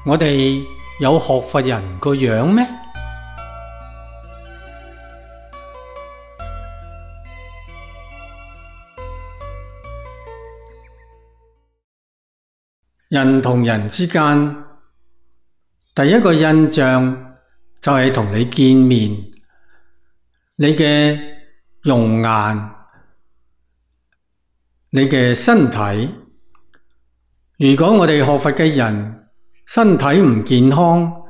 我哋有學佛人個樣咩？人同人之間，第一個印象就係同你見面，你嘅容顏，你嘅身體。如果我哋學佛嘅人身體唔健康，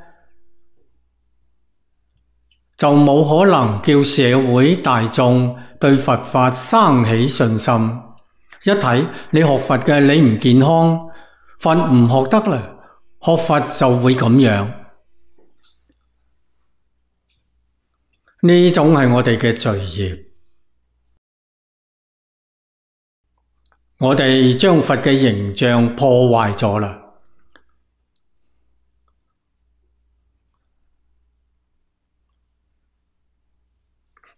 就冇可能叫社會大眾對佛法生起信心。一睇你學佛嘅你唔健康，佛唔學得啦，學佛就會咁樣。呢種係我哋嘅罪業。我哋將佛嘅形象破壞咗啦。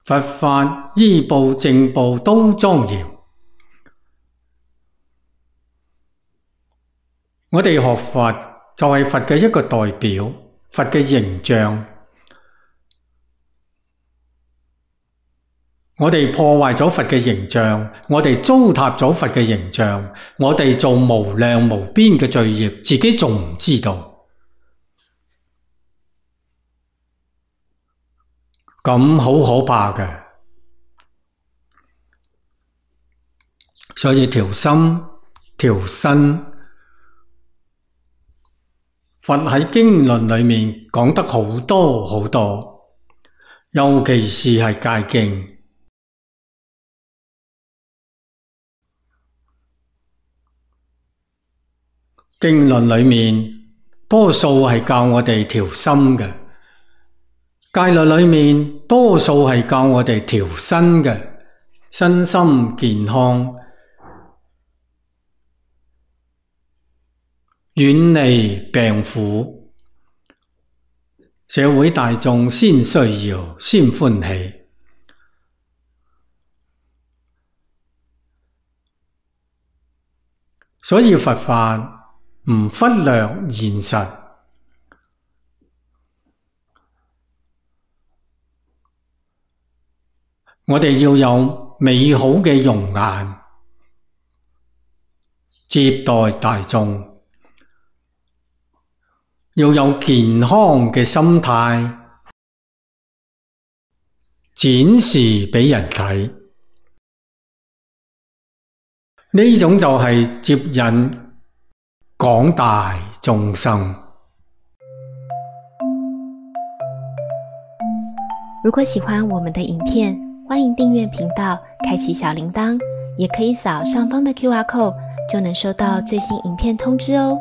佛法依部正部都莊嚴。我哋學佛就係佛嘅一個代表，佛嘅形象。我哋破壞咗佛嘅形象，我哋糟蹋咗佛嘅形象，我哋做無量無邊嘅罪業，自己仲唔知道？咁好可怕嘅。所以調心調身，佛喺經論裏面講得好多好多，尤其是係戒經。經論裏面多數係教我哋調心嘅，戒律裏面多數係教我哋調身嘅，身心健康，遠離病苦，社會大眾先需要，先歡喜。所以佛法唔忽略現實，我哋要有美好嘅容顏，接待大眾，要有健康嘅心態，展示俾人睇。呢種就係接引廣大眾生。如果喜歡我們的影片，歡迎訂閱頻道，開啟小鈴鐺，也可以掃上方的QR code，就能收到最新影片通知哦。